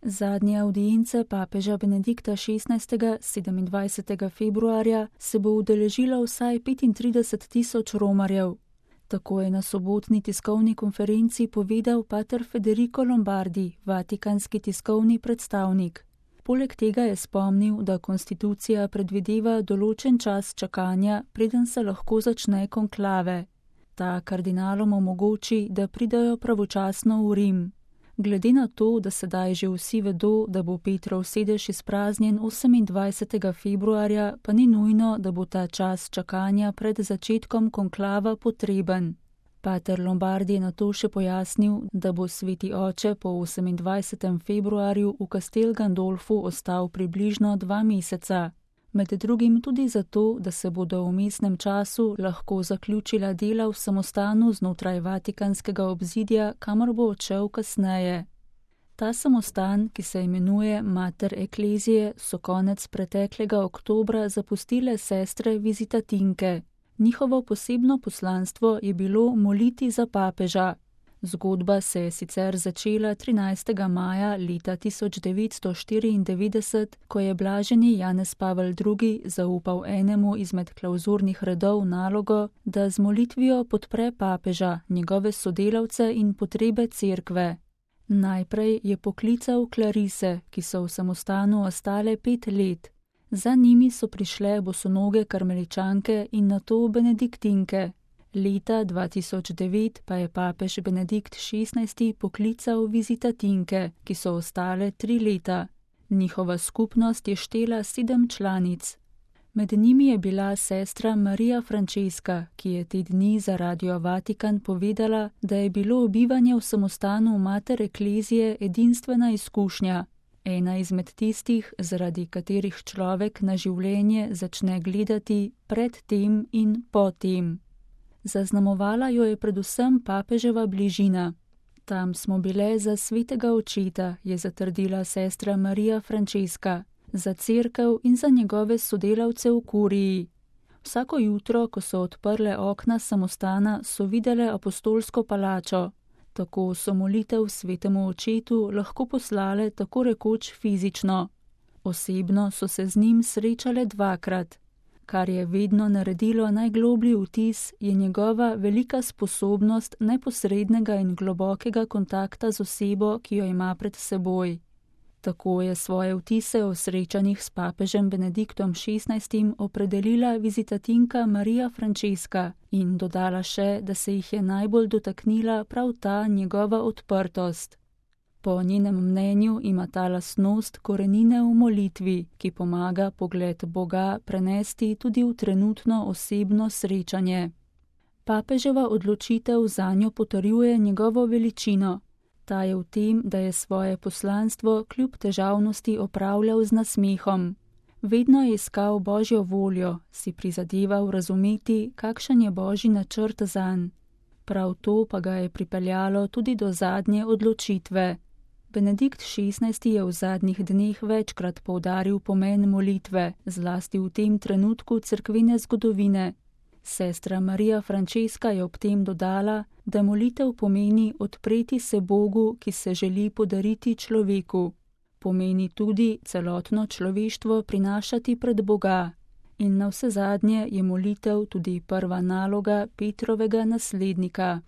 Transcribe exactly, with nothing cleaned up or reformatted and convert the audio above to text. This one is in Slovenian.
Zadnje avdience papeža Benedikta šestnajstega sedemindvajsetega februarja se bo udeležilo vsaj petintrideset tisoč romarjev. Tako je na sobotni tiskovni konferenci povedal pater Federico Lombardi, vatikanski tiskovni predstavnik. Poleg tega je spomnil, da konstitucija predvideva določen čas čakanja, preden se lahko začne konklave. Ta kardinalom omogoči, da pridajo pravočasno v Rim. Glede na to, da sedaj že vsi vedo, da bo Petrov sedež izpraznjen osemindvajsetega februarja, pa ni nujno, da bo ta čas čakanja pred začetkom konklava potreben. Pater Lombardi je nato še pojasnil, da bo sveti oče po osemindvajsetem februarju v Castel Gandolfu ostal približno dva meseca. Med drugim tudi zato, da se bodo v vmesnem času lahko zaključila dela v samostanu znotraj vatikanskega obzidja, kamor bo odšel kasneje. Ta samostan, ki se imenuje Mater Ecclesiae, so konec preteklega oktobra zapustile sestre vizitatinke. Njihovo posebno poslanstvo je bilo moliti za papeža. Zgodba se je sicer začela trinajstega maja leta tisoč devetsto štiriindevetdeset, ko je blaženi Janez Pavel drugi zaupal enemu izmed klavzurnih redov nalogo, da z molitvijo podpre papeža, njegove sodelavce in potrebe cerkve. Najprej je poklical klarise, ki so v samostanu ostale pet let. Za njimi so prišle bosonoge karmeličanke in nato benediktinke. Leta dva tisoč devet pa je papež Benedikt šestnajsti poklical vizitatinke, ki so ostale tri leta. Njihova skupnost je štela sedem članic. Med njimi je bila sestra Marija Frančeska, ki je te dni za Radio Vatikan povedala, da je bilo bivanje v samostanu Mater Ecclesiae edinstvena izkušnja. Ena izmed tistih, zaradi katerih človek na življenje začne gledati pred tem in po tem. Zaznamovala jo je predvsem papeževa bližina. Tam smo bile za svetega očeta, je zatrdila sestra Marija Frančeska, za cerkev in za njegove sodelavce v kuriji. Vsako jutro, ko so odprle okna samostana, so videle apostolsko palačo. Tako so molitev svetemu očetu lahko poslale tako rekoč fizično. Osebno so se z njim srečale dvakrat. Kar je vedno naredilo najgloblji vtis, je njegova velika sposobnost neposrednega in globokega kontakta z osebo, ki jo ima pred seboj. Tako je svoje vtise o srečanjih s papežem Benediktom šestnajstim opredelila vizitatinka Marija Frančeska in dodala še, da se jih je najbolj dotaknila prav ta njegova odprtost. Po njenem mnenju ima ta lastnost korenine v molitvi, ki pomaga pogled Boga prenesti tudi v trenutno osebno srečanje. Papeževa odločitev zanjo potrjuje njegovo veličino. Ta je v tem, da je svoje poslanstvo kljub težavnosti opravljal z nasmehom. Vedno je iskal Božjo voljo, si prizadeval razumeti, kakšen je Božji načrt zanj. Prav to pa ga je pripeljalo tudi do zadnje odločitve. Benedikt šestnajsti je v zadnjih dneh večkrat poudaril pomen molitve, zlasti v tem trenutku cerkvene zgodovine. Sestra Marija Frančeska je ob tem dodala, da molitev pomeni odpreti se Bogu, ki se želi podariti človeku. Pomeni tudi celotno človeštvo prinašati pred Boga. In navsezadnje je molitev tudi prva naloga Petrovega naslednika.